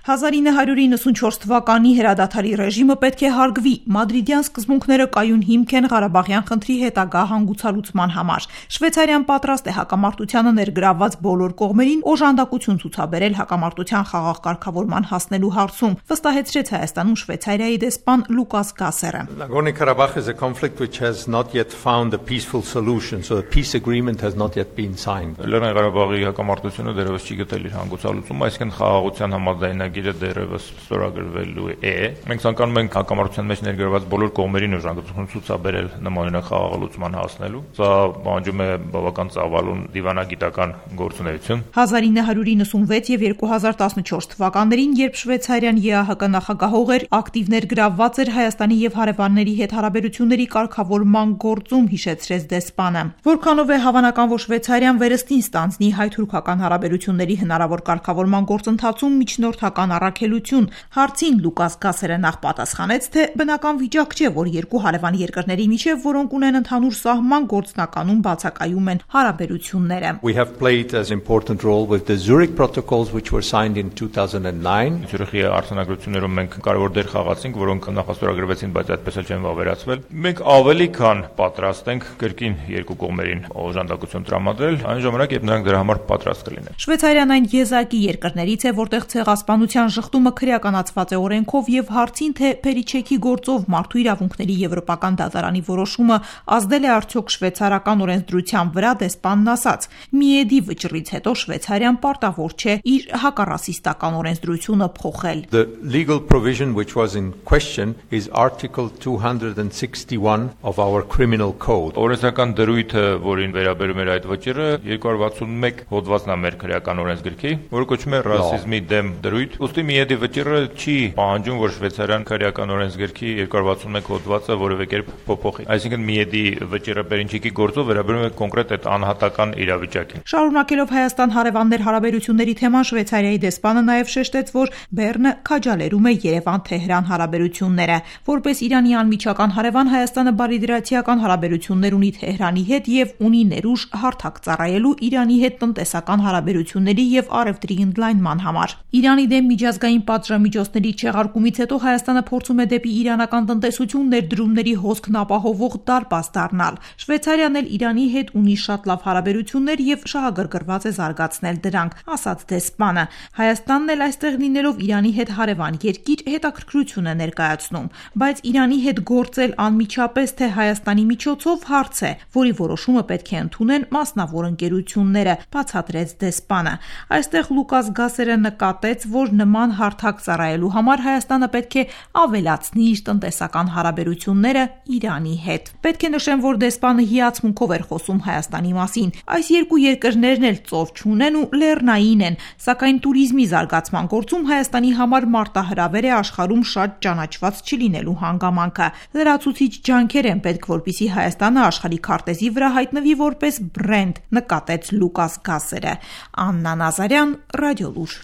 1994 թվականի հրադադարի ռեժիմը պետք է հարգվի, մադրիդյան սկզբունքները կայուն հիմք են Ղարաբաղյան խնդրի հետագա հանգուցալուծման համար։ Շվեյցարիան պատրաստ է հակամարտությանը ներգրավված բոլոր կողմերին օժանդակություն ցուցաբերել հակամարտության խաղաղ կարգավորման հասնելու հարցում, վստահեցրեց Հայաստանում Շվեյցարիայի դեսպան Լուկաս Գասերը։ Nagorno-Karabakh is a conflict which has not yet found a peaceful solution, so a peace agreement has not yet been signed. Լեռնային Ղարաբաղի հակամարտությունը դեռևս չի գտել իր հանգուցալուծումը, այսինքն խաղաղության համաձայնագիրը դեռևս ստորագրվելու է։ Մենք ցանկանում ենք հակամարտության մեջ ներգրավված բոլոր կողմերին օժանդակություն ցուցաբերել նմանօրինակ խաղաղալուծման հասնելու։ Սա պահանջում է բավական ծավալուն դիվանագիտական գործունեություն։ 1996 եւ 2014 թվականներին, երբ Շվեյցարիան ԵԱՀԿ նախագահող էր, ակտիվ ներգրավված էր Հայաստանի եւ հարևանների հետ հարաբերությունների կարգավորման գործում, հիշեցրեց դեսպանը։ Որքանով է հավանական, որ Շվեյցարիան վերստին ստանձնի հայ-թուրքական հարաբերությունների հնարավոր կարգավորման գործընթացում միջնորդական առաքելություն, հարցին Լուկաս Գասերը նախ պատասխանեց, թե բնական վիճակ չէ, որ երկու հարևան երկրների միջև, որոնք ունեն ընդհանուր սահման, գործնականում բացակայում են հարաբերությունները։ We have played an important role with the Zurich protocols which were signed in 2009. Zurich-ի արտոնագրություններում մենք կարևոր դեր խաղացինք, որոնք նախաստորագրվեցին, բայց այդպես էլ չեն վավերացվել։ Մենք ավելի քան պատրաստ ենք կրկին երկու կողմերին օժանդակություն տրամադրել, այն ժամանակ, երբ նրանք դրա համար պատրաստ կլինեն։ Շվեյցարիան այն եզակի երկրներից է, որտեղ ցեղասպանության շղթումը քրեականացված է օրենքով եւ հարցին, թե Փերիչեքի գործով մարդու իրավունքների եվրոպական դատարանի որոշումը ազդել է արդյոք շվեյցարական օրենսդրության վրա, դեսպանն ասաց. Միեդի վճռից հետո Շվեյցարիան պարտավոր չէ իր հակառասիստական օրենսդրությունը փոխել։ The legal provision which was in question is Article 261 of our criminal code. Օրենսդրական դրույթը, որին վերաբերում էր այդ վճիռը, 261 հոդվածն է մեր քրեական օրենսգրքի, որը կոչվում է ռասիզմի դեմ դրույթ։ Ուստի միեդի վճիռը չի պահանջում, որ Շվեյցարիան քրեական օրենսգրքի 261 հոդվածը որևէ կերպ փոփոխի։ Այսինքն միեդի վճիռը Փերիչեկի գործով վերաբերում է կոնկրետ այդ անհատական իրավիճակին։ Շարունակելով Հայաստան հարևաններ հարաբերությունների թեման, Շվեյցարիայի դեսպանը նաև շեշտեց, որ Բեռնը քաջալերում է Երևան-Թեհրան հարաբերությունները։ Որպես Իրանի անմիջական հարևան, Հայաստանը բարիդրացիական հարաբերություններ ունի Թեհրանի հետ եւ ունի ներուժ հարթակ ծառայելու Իրանի հետ տնտեսական հարաբերությունների եւ առևտրի ընդլայնման համար։ Իրանի դեմ միջազգային պատժամիջոցների չեղարկումից հետո Հայաստանը փորձում է դեպի իրանական տնտեսություն ներդրումների հոսքն ապահովող դարպաս դառնալ։ Շվեյցարիան էլ Իրանի հետ ունի շատ լավ հարաբերություններ եւ շահագրգռված է զարգացնել դրանք, ասաց դեսպանը։ Հայաստանն էլ այստեղ լինելով Իրանի հետ հարևան երկիր հետաքրքրություն է ներկայացնում, բայց Իրանի հետ գործել անմիջապես թե Հայաստանի միջոցով հարց է, որի որոշումը պետք է ընդունեն մասնավոր ընկերությունները, բացատրեց դեսպանը։ Այստեղ Լուկաս Գասերը նկատեց, որ նման հարթակ ծառայելու համար Հայաստանը պետք է ավելացնի իր տնտեսական հարաբերությունները Իրանի հետ։ Պետք է նշեմ, որ դեսպանը հիացմունքով էր խոսում Հայաստանի մասին։ Այս երկու երկրներն էլ ծով չունեն ու լեռնային են, սակայն туриզմի զարգացման գործում Հայաստանի համար մարտահրավեր է աշխարհում շատ ճանաչված չլինելու հանգամանքը։ Լրացուցիչ ջանքեր են պետք, որպեսզի Հայաստանը աշխարհի քարտեզի վրա հայտնվի որպես բրենդ, նկատեց Լուկաս Գասերը։ Աննա Նազարյան, Ռադիոլուր։